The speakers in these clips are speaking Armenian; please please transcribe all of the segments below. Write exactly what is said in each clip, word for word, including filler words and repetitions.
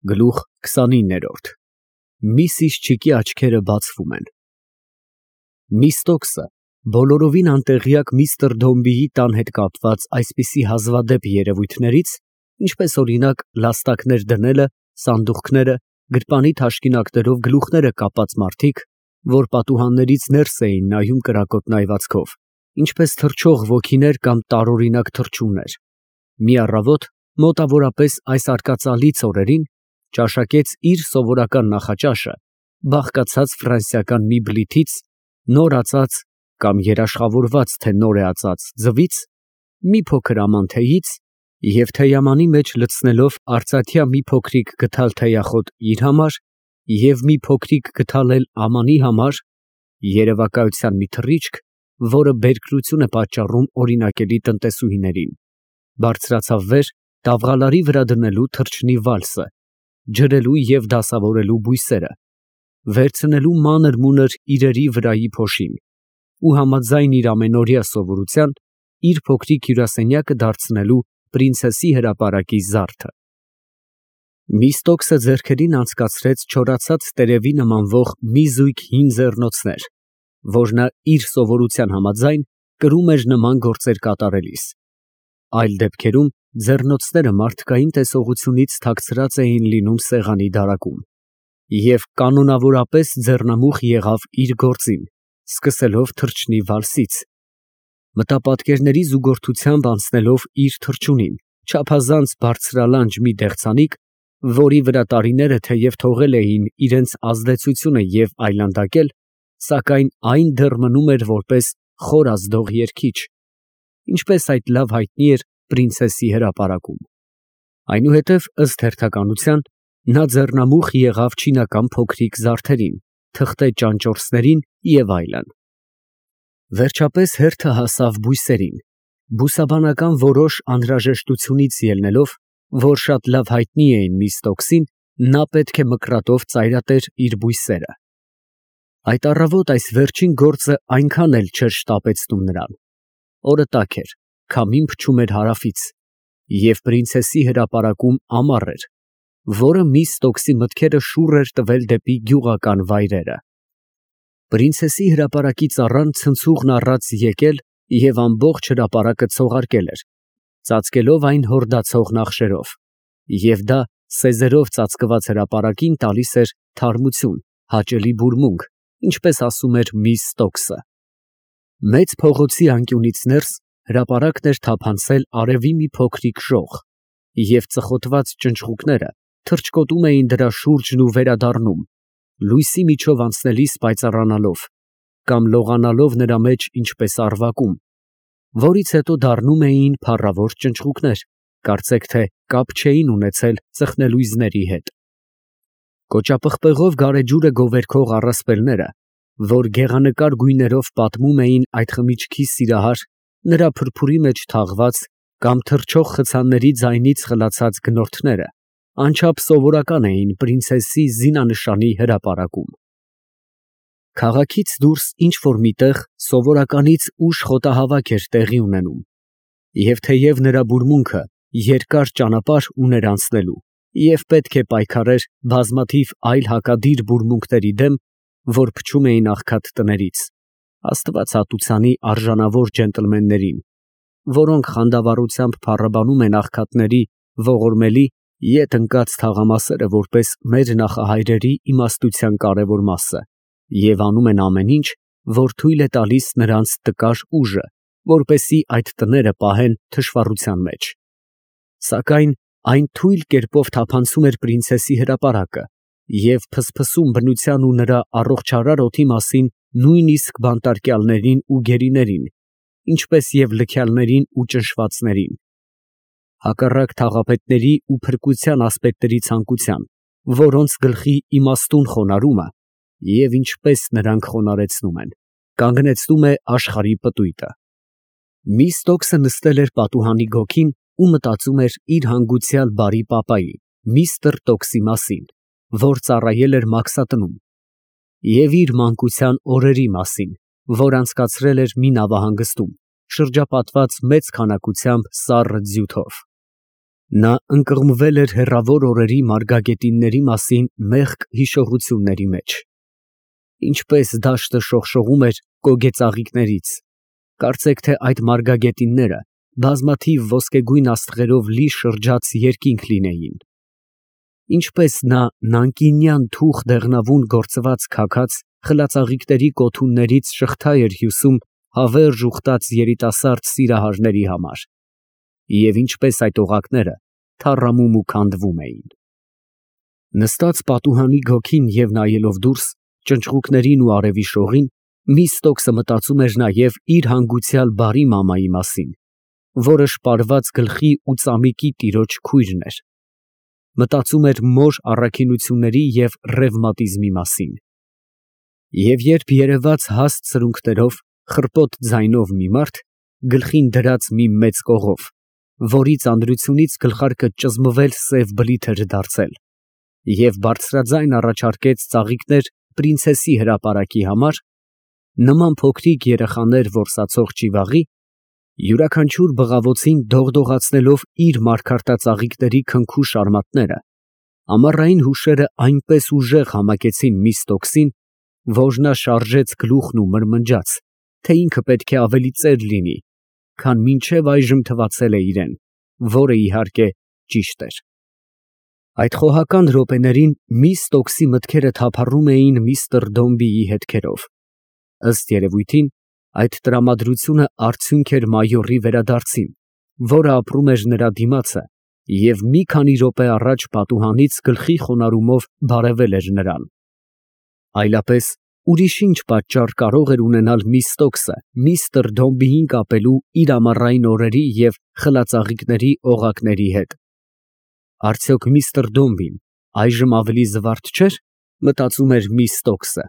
Գլուխ քսանիններորդ Միսիսչիկի աչքերը բացվում են։ Միստոկսը բոլորովին անտեղյակ միստր Դոմբիի տան հետ կապված այսպիսի հազվադեպ երևույթներից, ինչպես օրինակ լաստակներ դնելը, սանդուղքները, գրպանի թաշկինակներով գլուխները կապած մարդիկ, որ պատուհաններից ներս էին նայում կրակոտ նայվածքով, ինչպես թռչող ոգիներ կամ տարօրինակ թռչուններ, մի առավոտ մոտավորապես այս արկածալից օրերին ճաշակեց իր սովորական նախաճաշը, բաղկացած ֆրանսիական մի բլիթից, նոր ածած կամ երաշխավորված թե նոր է ածած ձվից, մի փոքր աման թեյից և թեյամանի մեջ լցնելով արծաթյա մի փոքրիկ գդալ թեյախոտ իր համար և մի փոքրիկ գդալ էլ ամանի համար, երևակայության մի թռիչք, որը բերկրություն է պատճառում օրինակելի տնտեսուհիներին, բարձրացավ վեր տավղալարի վրա դնելու թռչնի վալսը, ջրելու և դասավորելու բույսերը, վերցնելու մանր֊մունր իրերի վրայի փոշին ու համաձայն իր ամենօրյա սովորության, իր փոքրիկ հյուրասենյակը դարձնելու պրինցեսի հրապարակի զարդը։ Միստոկսը ձեռքերին անցկացրեց չորացած տերևի նմանվող մի զույգ հին ձեռնոցներ, որ նա իր սովորության համաձայն կրում էր նման գործեր կատարելիս, այլ դեպքերում ձեռնոցները մարդկային տեսողությունից թաքցրած էին լինում սեղանի դարակում, և կանոնավորապես ձեռնամուխ եղավ իր գործին, սկսելով թռչնի վալսից, մտապատկերների զուգորդությամբ անցնելով իր թռչունին, չափազանց բարձրալանջ մի դեղցանիկ, որի վրա տարիները թեև թողել էին իրենց ազդեցությունը և այլանդակել, սակայն այն դեռ մնում էր որպես խոր ազդող երգիչ, ինչպես այդ լավ հայտնի էր պրինցեսի հրապարակում։ Այնուհետև, ըստ հերթականության, նա ձեռնամուխ եղավ չինական փոքրիկ զարդերին, թղթե ճանճորսներին և այլն։ Վերջապես հերթը հասավ բույսերին, բուսաբանական որոշ անհրաժեշտությունից ելնելով, որ շատ լավ հայտնի էին Միստոկսին, նա պետք է մկրատով ծայրատեր իր բույսերը։ Այդ առավոտ այս վերջին գործը այնքան էլ չէր շտապեցնում նրան։ Օրը տաք էր, քամին փչում էր հարավից, և պրինցեսի հրապարակում ամառ էր, որը Միստոկսի մտքերը շուռ էր տվել դեպի գյուղական վայրերը։ Պրինցեսի հրապարակի ծառան ցնցուղն առած եկել և ամբողջ հրապարակը ցողարկել էր, ծածկելով այն հորդացող նախշերով, և դա սեզերով ծածկված հրապարակին տալիս էր թարմություն, հաճելի բուրմունք, ինչպես ասում էր Միստոկսը։ Մեծ փողոցի անկյունից ներս հրապարակն էր թափանցել արևի մի փոքրիկ ժող, և ծխոտված ճնճղուկները թռչկոտում էին դրա շուրջն ու վերադառնում, լույսի միջով անցնելիս պայծառանալով, կամ լողանալով նրա մեջ ինչպես առվակում, որից հետո դառնում էին փառավոր ճնճղուկներ, կարծեք թե կապ չէին ունեցել ծխնելույզների հետ։ Կոճապղպեղով գարեջուրը գովերքող առասպելները, որ գեղանկար գույներով պատմում էին այդ խմիչքի սիրահար, նրա փրփուրի մեջ թաղված կամ թռչող խցանների ձայնից խլացած գնորդները, անչափ սովորական էին պրինցեսի զինանշանի հրապարակում։ Քաղաքից դուրս ինչ֊որ մի տեղ սովորականից ուշ խոտահավաք էր տեղի ունենում, և թեև նրա բուրմունքը երկար ճանապարհ ուներ անցնելու և պետք է պայքարեր բազմաթիվ այլ հակադիր բուրմունքների դեմ, որ փչում էին աղքատ տներից, Աստված ատուցանի արժանավոր ջենտլմեններին, որոնք խանդավառությամբ փառաբանում են աղքատների ողորմելի ետ ընկած թաղամասերը որպես մեր նախահայրերի իմաստության կարևոր մասը, և անում են ամեն ինչ, որ թույլ է տալիս նրանց տկար ուժը, որպեսզի այդ տները պահեն թշվառության մեջ։ Սակայն այն թույլ կերպով թափանցում էր պրինցեսի հրապարակը և փսփսում բնության ու նրա առողջարար օդի մասին նույնիսկ բանտարկյալներին ու գերիներին, ինչպես և լքյալներին ու ճնշվածներին, հակառակ թաղապետների ու փրկության ասպետների ցանկության, որոնց գլխի իմաստուն խոնարհումը, և ինչպես նրանք խոնարհեցնում են, կանգնեցնում է աշխարհի պտույտը։ Միստոկսը նստել էր պատուհանի գոգին ու մտածում էր իր հանգուցյալ բարի պապայի՝ միստր Տոկսի մասին, որ ծառայել էր Մաքսատնում, և իր մանկության օրերի մասին, որ անցկացրել էր մի նավահանգստում, շրջապատված մեծ քանակությամբ սառը ձյութով։ Նա ընկղմվել էր հեռավոր օրերի մարգագետինների մասին մեղք հիշողությունների մեջ. ինչպես դաշտը շողշողում էր կոգեծաղիկներից, կարծեք թե այդ մարգագետինները բազմաթիվ ոսկեգույն աստղերով լի շրջած երկինք լինեին. ինչպես նա նանկինյան թուխ դեղնավուն գործված քաքած խլածաղիկների կոթուններից շղթա էր հյուսում հավերժ ուխտած երիտասարդ սիրահարների համար, և ինչպես այդ օղակները թառամում ու քանդվում էին։ Նստած պատուհանի գոգին և նայելով դուրս ճնճղուկներին ու արևի շողին, Միստոկսը մտածում էր նաև իր հանգուցյալ բարի մամայի մասին, որը շպարված գլխի ու ծամիկի տիրոջ քույրն էր, մտածում էր մոր առաքինությունների և ռևմատիզմի մասին։ Եվ երբ երևաց հաստ սրունքներով, խռպոտ ձայնով մի մարդ, գլխին դրած մի մեծ կողով, որի ծանրությունից գլխարկը ճզմվել սև բլիթ էր դարձել, և բարձրաձայն առաջարկեց ծաղիկներ պրինցեսի հրապարակի համար, նման փոքրիկ երեխաներ որսացող ճիվաղի, յուրաքանչյուր բղավոցին դողդողացնելով իր մարգարտածաղիկների քնքուշ արմատները, ամառային հուշերը այնպես ուժեղ համակեցին Միստոկսին, որ նա շարժեց գլուխն ու մրմնջաց, թե ինքը պետք է ավելի ծեր լինի, քան մինչև այժմ թվացել է իրան, որը, իհարկե, ճիշտ էր։ Այդ խոհական րոպեներին Միստոկսի մտքերը թափառում էին միստր Դոմբիի հետքերով։ Ըստ երևույթին, այդ տրամադրությունը արդյունք էր մայորի վերադարձին, որը ապրում էր նրա դիմացը և մի քանի րոպե առաջ պատուհանից գլխի խոնարհումով բարևել էր նրան։ Այլապես ուրիշ ինչ պատճառ կարող էր ունենալ Միստոկսը միստր Դոմբիին կապելու իր ամառային օրերի և խլածաղիկների օղակների հետ։ Արդյոք միստր Դոմբին այժմ ավելի զվարթ չէր, մտածում էր Միստոկսը,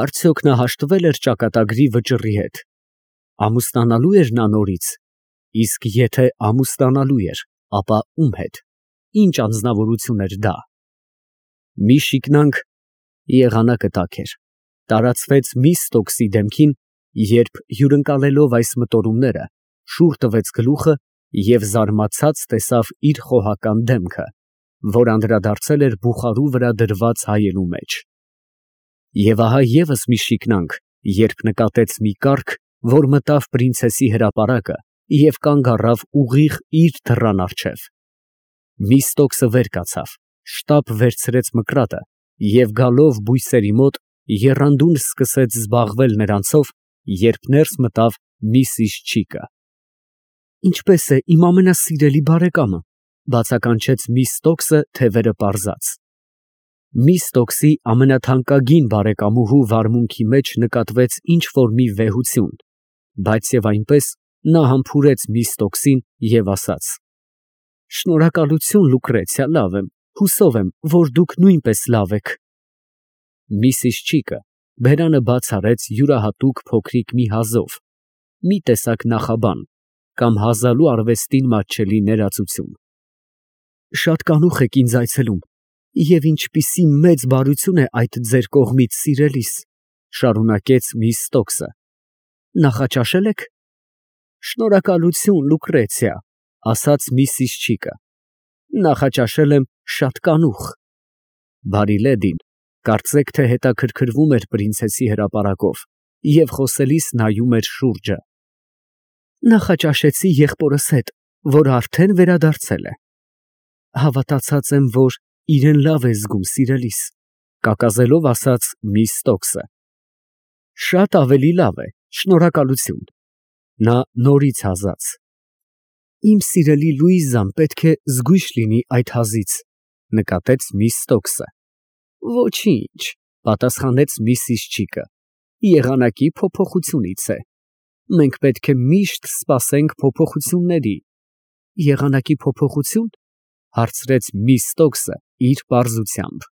արդյոք նա հաշտվել էր ճակատագրի վճռի հետ, ամուսնանալու էր նա նորից, իսկ եթե ամուսնանալու էր, ապա ում հետ, ինչ անձնավորություն էր դա։ Մի շիկնանք (եղանակը տաք էր) տարածվեց Միստոկսի դեմքին, երբ հյուրընկալելով այս մտորումները, շուռ տվեց գլուխը և զարմացած տեսավ իր խոհական դեմքը, որ անդրադարձել էր բուխարու վրա դրված հայելու մեջ։ Եվ ահա ևս մի շիկնանք, երբ նկատեց մի կառք, որ մտավ պրինցեսի հրապարակը և կանգ առավ ուղիղ իր դռան առջև։ Միստոկսը վեր կացավ, շտապ վերցրեց մկրատը և գալով բույսերի մոտ, եռանդուն սկսեց զբաղվել նրանցով, երբ ներս մտավ միսիս Չիկը։ Ինչպե՞ս է իմ ամենասիրելի բարեկամը, ֊ բացականչեց Միստոկսը թևերը պարզած։ Միստոկսի ամենաթանկագին բարեկամուհու վարմունքի մեջ նկատվեց ինչ֊որ մի վեհություն, բայց և այնպես նա համբուրեց Միստոկսին և ասաց. Շնորհակալություն, Լուկրեցիա, լավ եմ, հուսով եմ, որ դուք նույնպես լավ եք։ Միսիս Չիկը բերանը բաց արեց յուրահատուկ փոքրիկ մի հազով, մի տեսակ նախաբան կամ հազալու արվեստին մատչելի ներածություն։ Շատ կանուխ եք ինձ այցելում, և ինչպիսի մեծ բարություն է այդ ձեր կողմից, սիրելիս, ֊ շարունակեց Միստոկսը։ Նախաճաշե՞լ եք։ Շնորհակալություն, Լուկրեցիա, ֊ ասաց միսիս Չիկը։ Նախաճաշել եմ շատ կանուխ։ Բարի լեդին, կարծեք թե հետաքրքրվում էր պրինցեսի հրապարակով և խոսելիս նայում էր շուրջը։ Նախաճաշեցի եղբորս հետ, որ արդեն վերադարձել է։ Հավատացած եմ, որ իրեն լավ է զգում, սիրելիս, ֊ կակազելով ասաց Միստոկսը։ Շատ ավելի լավ է, շնորհակալություն։ Նա նորից հազաց։ Իմ սիրելի Լուիզան պետք է զգույշ լինի այդ հազից, ֊ նկատեց Միստոկսը։ Ոչինչ, ֊ պատասխանեց միսիս Չիկը, եղանակի փոփոխությունից է։ Մենք պետք է միշտ սպասենք փոփոխությունների։ Եղանակի փոփոխությո՞ւն, ֊ հարցրեց Միստոկսը իր պարզությամբ։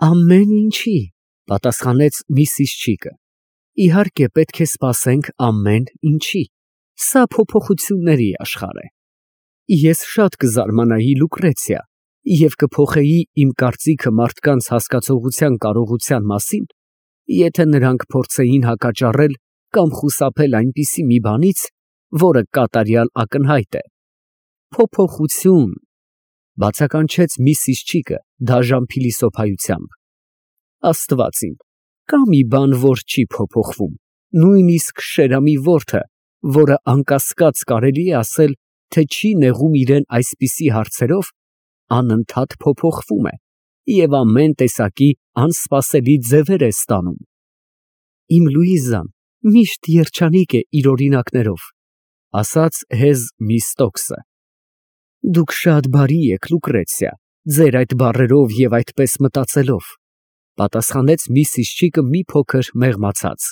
Ամեն ինչի, ֊ պատասխանեց միսիս Չիկը։ Իհարկե պետք է սպասենք ամեն ինչի։ Սա փոփոխությունների աշխարհ է։ Ես շատ կզարմանայի, Լուկրեցիա, և կփոխեի իմ կարծիքը մարդկանց հասկացողության կարողության մասին, եթե նրանք փորձեին հակաճառել կամ խուսափել այնպիսի մի բանից, որը կատարյալ ակնհայտ է։ Փոփոխություն, բացականչեց միսիս Չիկը դաժան փիլիսոփայությամբ։ Աստված իմ, կա մի բան, որ չի փոփոխվում, նույնիսկ Շերամի որդը, որը անկասկած կարելի է ասել, թե չի նեղում իրան այսպիսի հարցերով, անընդհատ փոփոխվում է և ամեն տեսակի անսպասելի ձևեր է ստանում։ Իմ Լուիզան միշտ երջանիկ է իր օրինակներով, ասաց հեզ միս Տոքսը։ Դուք շատ բարի եք, Լուկրեցիա, ձեր այդ բառերով և այդպես մտածելով, պատասխանեց միսիս Չիկը մի փոքր մեղմացած։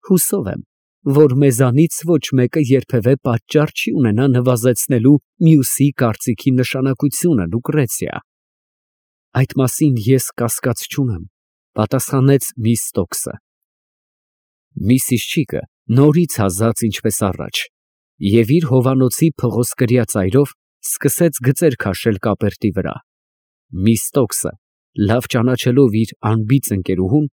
Հուսով եմ, որ մեզանից ոչ մեկը երբևէ պատճառ չի ունենա նվազեցնելու մյուսի կարծիքի նշանակությունը, Լուկրեցիա։ Այդ մասին ես կասկած չունեմ, պատասխանեց միս Տոքսը։ Միսիս Չիկը նորից հազաց ինչպես առաջ և իր հովանոցի փղոսկրյա ծայրով սկսեց գծեր քաշել կապերտի վրա։ Միս Տոքսը, լավ ճանաչելով իր անբիծ ընկերուհուն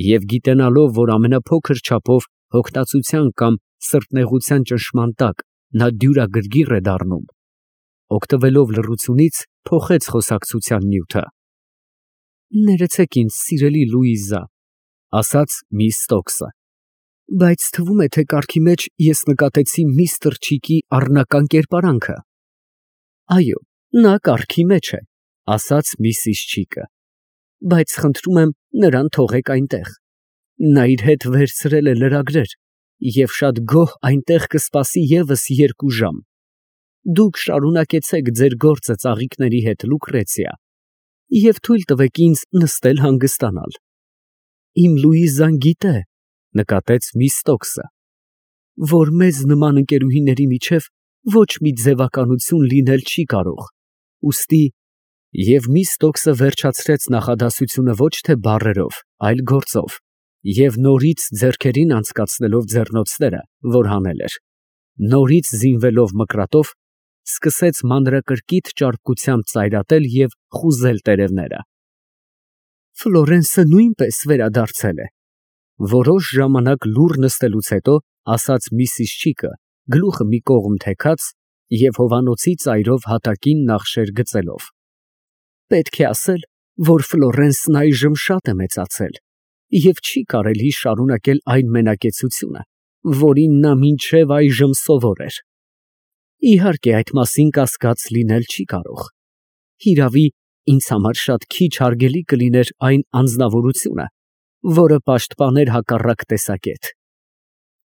և գիտենալով, որ ամենափոքր չափով հոգնածության կամ սրտնեղության ճնշման տակ նա դյուրագրգիռ է դառնում, օգտվելով լռությունից, փոխեց խոսակցության նյութը։ Ներեցեք ինձ, սիրելի Լուիզա, ասաց միս Տոքսը, բայց թվում է, թե կառքի մեջ ես նկատեցի միստր Չիկի առնական կերպարանքը։ Այո, նա կառքի մեջ է, ասաց միսիս Չիկը, բայց խնդրում եմ նրան թողեք այնտեղ։ Նա իր հետ վերցրել է լրագրեր և շատ գոհ այնտեղ կսպասի ևս երկու ժամ։ Դուք շարունակեցեք ձեր գործը ծաղիկների հետ, Լուկրեցիա, և թույլ տվեք ինձ նստել հանգստանալ։ Իմ Լուիզան գիտե, նկատեց միս Տոքսը, որ մեզ նման ընկերուհիների միջև ոչ մի ձևականություն լինել չի կարող, ուստի… Եվ միս Տոքսը վերջացրեց նախադասությունը ոչ թե բառերով, այլ գործով, և նորից ձեռքերին անցկացնելով ձեռնոցները, որ հանել էր, նորից զինվելով մկրատով, սկսեց մանրակրկիտ ճարպկությամբ ծայրատել և խուզել տերևները։ Ֆլորենսը նույնպես վերադարձել է, որոշ ժամանակ լուռ նստելուց հետո ասաց միսիս Չիկը, գլուխը մի կողմ թեքած և հովանոցի ծայրով հատակին նախշեր գծելով։ Պետք է ասել, որ Ֆլորենսն այժմ շատ է մեծացել և չի կարելի շարունակել այն մենակեցությունը, որին նա մինչև այժմ սովոր էր։ Իհարկե, այդ մասին կասկած լինել չի կարող։ Հիրավի, ինձ համար շատ քիչ հարգելի կլիներ այն անձնավորությունը, որը պաշտպաներ հակառակ տեսակետ։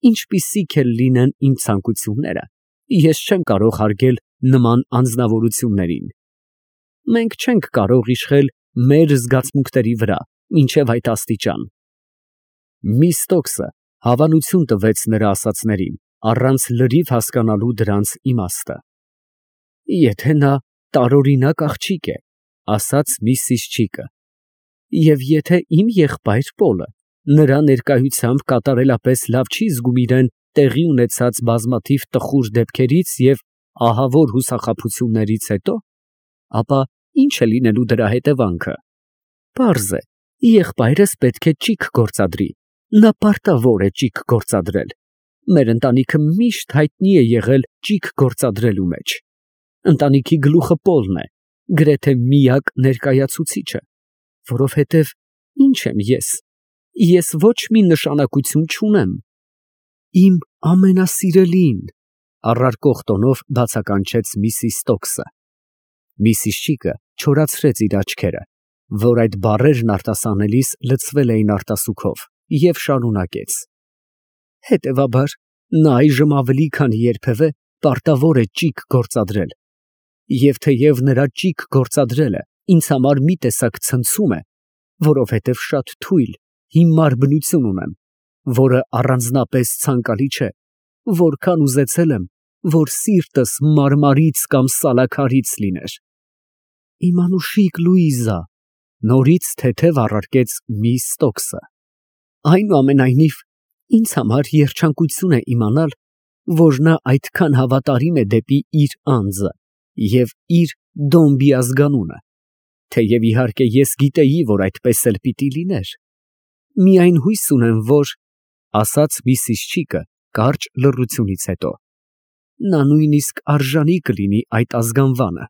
Ինչպիսիք էլ լինեն իմ ցանկությունները, ես չեմ կարող հարգել նման անձնավորություններին։ Մենք չենք կարող իշխել մեր զգացմունքների վրա մինչև այդ աստիճան։ Միս Տոքսը հավանություն տվեց նրա ասածներին, առանց լրիվ հասկանալու դրանց իմաստը։ Եթե նա տարօրինակ աղջիկ է, ասաց միսիս Չիկը, և եթե իմ եղբայր Պոլը նրա ներկայությամբ կատարելապես լավ չի զգում իրան տեղի ունեցած բազմաթիվ տխուր դեպքերից և ահավոր հուսախաբություններից հետո, ապա ի՞նչ է լինելու դրա հետևանքը։ Պարզ է, եղբայրս պետք է ճիգ գործադրի, նա պարտավոր է ճիգ գործադրել։ Մեր ընտանիքը միշտ հայտնի է եղել ճիգ գործադրելու մեջ։ Ընտանիքի գլուխը Պոլն է, գրեթե միակ ներկայացուցիչը, որովհետև ի՞նչ եմ ես, ես ոչ մի նշանակություն չունեմ։ Իմ ամենասիրելին, առարկող տոնով բացականչեց միսիս Տոքսը։ Միսիս Չիկը չորացրեց իր աչքերը, որ այդ բառերն արտասանելիս լցվել էին արտասուքով, և շարունակեց. Հետևաբար, նա այժմ ավելի քան երբևէ պարտավոր է ճիգ գործադրել, և թեև նրա ճիգ գործադրելը ինձ համար մի տեսակ ցնցում է, որովհետև շատ թույլ, հիմար բնություն ունեմ, որը առանձնապես ցանկալի չէ, որքան ուզեցել եմ, որ սիրտս մարմարից կամ սալաքարից լիներ։ Իմ անուշիկ Լուիզա, նորից թեթև առարկեց միս Տոքսը, այնուամենայնիվ, ինձ համար երջանկություն է իմանալ, որ նա այդքան հավատարիմ է դեպի իր անձը և իր Դոմբի ազգանունը, թեև իհարկե ես գիտեի, որ այդպես էլ պիտի լիներ։ Միայն հույս ունեմ, որ… ասաց միսիս Չիկը կարճ լռությունից հետո, նա նույնիսկ արժանի կլինի այդ ազգանվանը։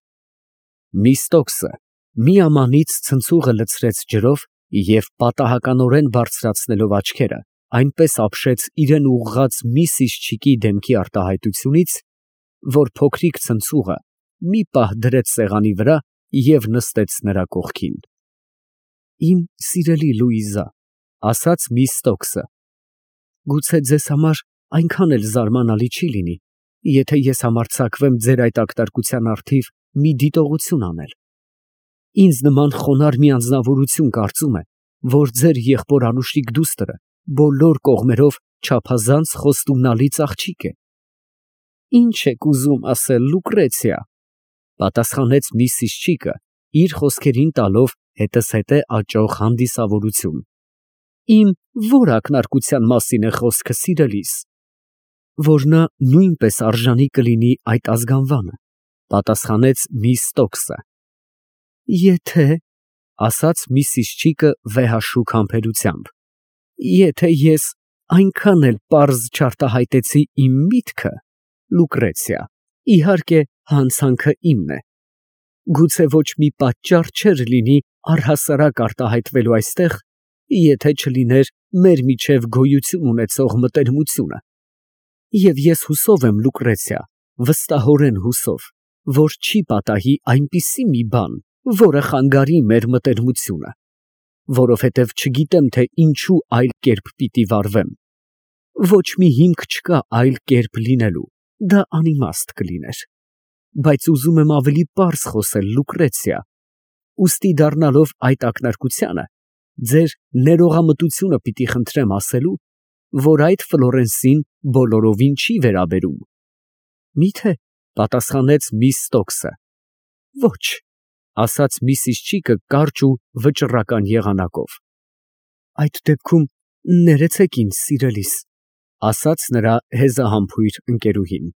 Միստոկսը միամանից ցնցուղը լցրեց ջրով և պատահականորեն բարձրացնելով աչքերը, այնպես ապշեց իրան ուղղած մի սիժչիկի դեմքի արտահայտությունից, որ փոքրիկ ցնցուղը մի պահ դրեց սեղանի վրա և նստեց նրա կողքին։ Իմ սիրելի Լուիզա, ֊ ասաց Միստոկսը, ֊ գուցե ձեզ համար այնքան էլ զարմանալի չի լինի, եթե ես համարձակվեմ ձեր այդ ակնարկության առթիվ մի դիտողություն անել։ Ինձ նման խոնարհ մի անձնավորություն կարծում է, որ ձեր եղբոր անուշիկ դուստրը բոլոր կողմերով չափազանց խոստումնալից աղջիկ է։ Ի՞նչ եք ուզում ասել, Լուկրեցիա, ֊ պատասխանեց մի սիժչիկը, իր խոսքերին տալով հետզհետե աճող հանդիսավորություն։ Իմ ո՞ր ակնարկության մասին է խոսքը, սիրելիս։ Որ նա նույնպես արժանի կլինի այդ ազգանվանը, ֊ պատասխանեց Միստոկսը։ Եթե, ֊ ասաց մի սիժչիկը վեհաշուք համբերությամբ, ֊ եթե ես այնքան էլ պարզ չարտահայտեցի իմ միտքը, Լուկրեցիա, իհարկե հանցանքը իմն է։ Գուցե ոչ մի պատճառ չէր լինի առհասարակ արտահայտվելու այստեղ, եթե չլիներ մեր միջև գոյություն ունեցող մտերմությունը։ Եվ ես հուսով եմ, Լուկրեցիա, վստահորեն հուսով, որ չի պատահի այնպիսի մի բան, որը խանգարի մեր մտերմությունը, որովհետև չգիտեմ, թե ինչու այլ կերպ պիտի վարվեմ։ Ոչ մի հիմք չկա այլ կերպ լինելու, դա անիմաստ կլիներ։ Բայց ուզում եմ ավելի պարզ խոսել, Լուկրեցիա, ուստի դառնալով այդ ակնարկությանը, ձեր ներողամտությունը պիտի խնդրեմ ասելու, որ այդ Ֆլորենսին բոլորովին չի վերաբերում։ Մի՞թե, ֊ պատասխանեց Միստոկսը։ Ոչ, ֊ ասաց մի սիժչիկը կարճ ու վճռական եղանակով։ Այդ դեպքում ներեցեք ինձ, սիրելիս, ֊ ասաց նրա հեզահամբույր ընկերուհին,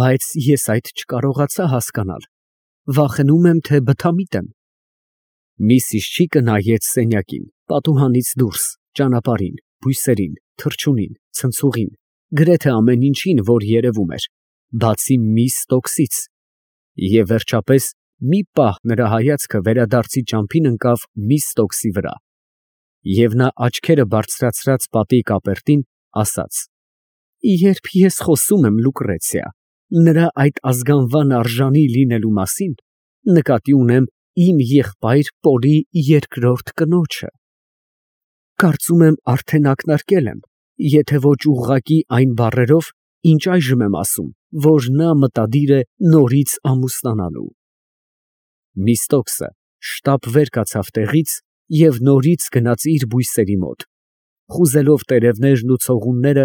բայց ես այդ չկարողացա հասկանալ, վախենում եմ, թե բթամիտ եմ։ Մի սիժչիկը նայեց սենյակին, պատուհանից դուրս, ճանապարհին, բույսերին, թռչունին, ցնցուղին, գրեթե ամեն ինչին, որ երևում էր, բացի Միստոկսից, և վերջապես մի պահ նրա հայացքը վերադարձի ճամփին ընկավ Միստոկսի վրա, և նա աչքերը բարձրացրած պատի կապերտին ասաց. Երբ ես խոսում եմ, Լուկրեցիա, նրա այդ ազգանվան արժանի լինելու մասին, նկատի ունեմ իմ եղբայր Պոլի երկրորդ կնոջը։ Կարծում եմ արդեն ակնարկել եմ, եթե ոչ ուղղակի այն բառերով, ինչ այժմ եմ ասում, որ նա մտադիր է նորից ամուսնանալու։ Միստոկսը շտապ վեր կացավ տեղից և նորից գնաց իր բույսերի մոտ, խուզելով տերևներն ու ցողունները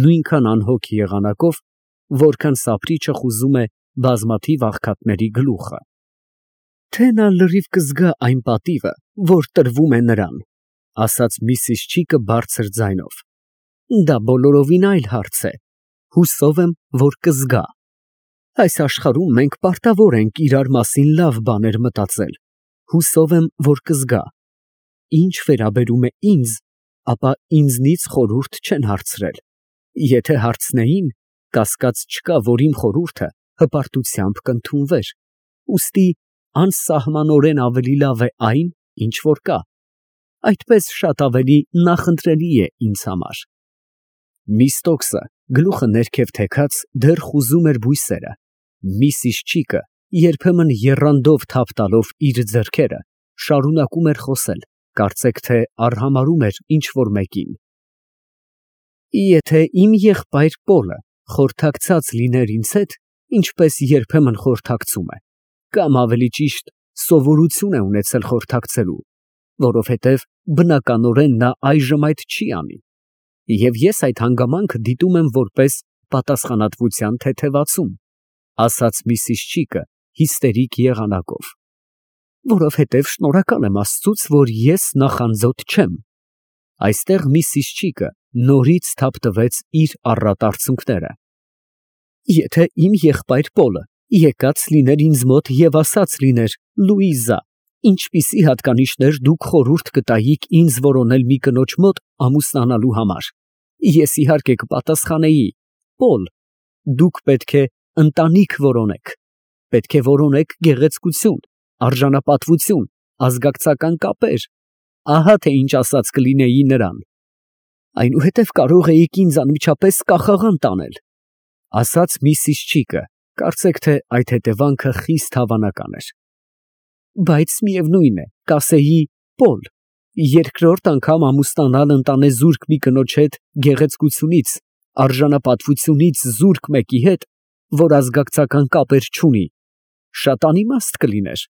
նույնքան անհոգ եղանակով, որքան սափրիչը խուզում է բազմաթիվ աղքատների գլուխը։ Թե նա լրիվ կզգա այն պատիվը, որ տրվում է նրան, ֊ ասաց մի սիժչիկը բարձր ձայնով, ֊ դա բոլորովին այլ հարց է, հուսով եմ, որ կզգա։ Այս աշխարհում մենք պարտավոր ենք իրար մասին լավ բաներ մտածել, հուսով եմ, որ կզգա։ Ինչ վերաբերում է ինձ, ապա ինձնից խորհուրդ չեն հարցրել։ Եթե հարցնեին, կասկած չկա, որ իմ խորհուրդը հպարտությամբ կընդունվեր։ Ուստի անսահմանորեն ավելի լավ է այն, ինչ որ կա, այդպես շատ ավելի նախընտրելի է ինձ համար։ Միստոկսը գլուխը ներքև թեքած դեռ խուզում էր բույսերը, մի սիժչիկը երբեմն եռանդով թափ տալով իր ձեռքերը շարունակում էր խոսել, կարծեք թե արհամարհում էր ինչ որ մեկին։ Եթե իմ եղբայր Պոլը խորհրդակցած լիներ ինձ հետ, ինչպես երբեմն խորհրդակցում է, կամ ավելի ճիշտ սովորություն է ունեցել խորհրդակցելու, որովհետև բնականորեն նա այժմ այդ չի անի, և ես այդ հանգամանքը դիտում եմ որպես պատասխանատվության թեթևացում, ասաց մի սիժչիկը հիստերիկ եղանակով, որովհետև շնորհակալ եմ Աստծուց, որ ես նախանձոտ չեմ։ Այստեղ մի սիժչիկը նորից թափ տվեց իր առատ արցունքները։ Եթե իմ եղբայր Պոլը եկած լիներ ինձ մոտ և ասած լիներ. Լուիզա, ինչպիսի հատկանիշներ դուք խորհուրդ կտայիք ինձ որոնել մի կնոջ մոտ ամուսնանալու համար, ես իհարկե կպատասխանեի. Պոլ, դուք պետք է ընտանիք որոնեք, պետք է որոնեք գեղեցկություն, արժանապատվություն, ազգակցական կապեր, ահա թե ինչ ասած կլինեի նրան։ Այնուհետև կարող էիք ինձ անմիջապես կախաղան տանել, ասաց միսիս Չիկը, կարծեք թե այդ հետևանքը խիստ հավանական էր։ Բայց միևնույն է, կասեի Պոլ, երկրորդ անգամ ամուսնանալ ընտանեզուրկ մի կնոջ հետ գեղեցկությունից, արժանապատվությունից զուրկ մեկի հետ, որ ազգակցական կապեր չունի, շատ անիմաստ կլիներ։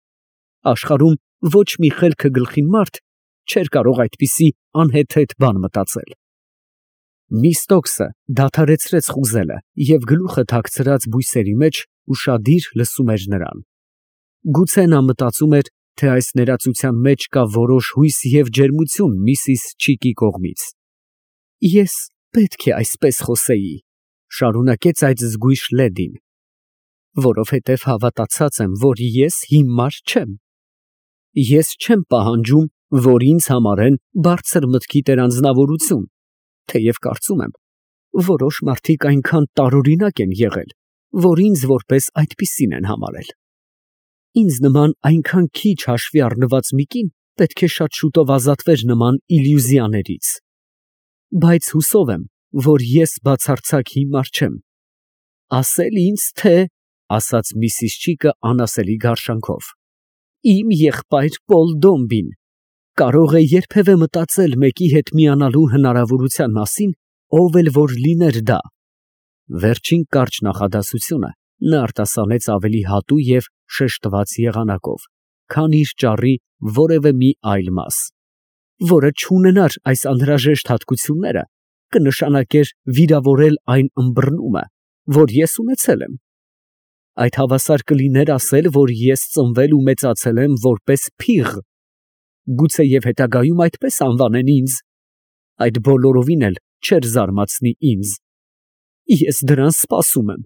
Աշխարհում ոչ մի խելքը գլխին մարդ չէր կարող այդպիսի անհեթեթ բան մտածել։ Միս Ստոքսը դադարեցրեց խուզելը և գլուխը թաքցրած բույսերի մեջ ուշադիր լսում էր նրան։ Գուցե նա մտածում էր, թե այս ներածության մեջ կա որոշ հույս և ջերմություն միսիս Չիկի կողմից։ Ես պետք է այսպես խոսեի, շարունակեց այդ զգույշ լեդին, որովհետև հավատացած եմ, որ ես հիմար չեմ։ Ես չեմ պահանջում, որ ինձ համարեն բարձր մտքի տերանձնավորություն, թեև կարծում եմ, որոշ մարդիկ այնքան տարօրինակ են եղել, որ ինձ որպես այդպիսին են համարել։ Ինձ նման այնքան քիչ հաշվի առնված մի կին պետք է շատ շուտով ազատվեր նման իլյուզիաներից։ Բայց հուսով եմ, որ ես բացարձակ հիմար չեմ։ Ասել ինձ, թե, ասաց միսիս Չիկը անասելի գարշանքով, իմ եղբայր Պոլ Դոմբին կարող է երբևէ մտածել մեկի հետ միանալու հնարավորության մասին, ով էլ որ լիներ դա։ Վերջին կարճ նախադասությունը նա արտասանեց ավելի հատու և շեշտված եղանակով, քան իր ճառի որևէ մի այլ մաս, որը չունենար այս անհրաժեշտ հատկությունները, կնշանակեր վիրավորել այն ըմբռնումը, որ ես ունեցել եմ։ Այդ հավասար կլիներ ասել, որ ես ծնվել ու մեծացել եմ որպես փիղ, գուցեև հետագայում այդպես անվանեն ինձ, այդ բոլորովին էլ չէր զարմացնի ինձ։ Ես դրան սպասում եմ։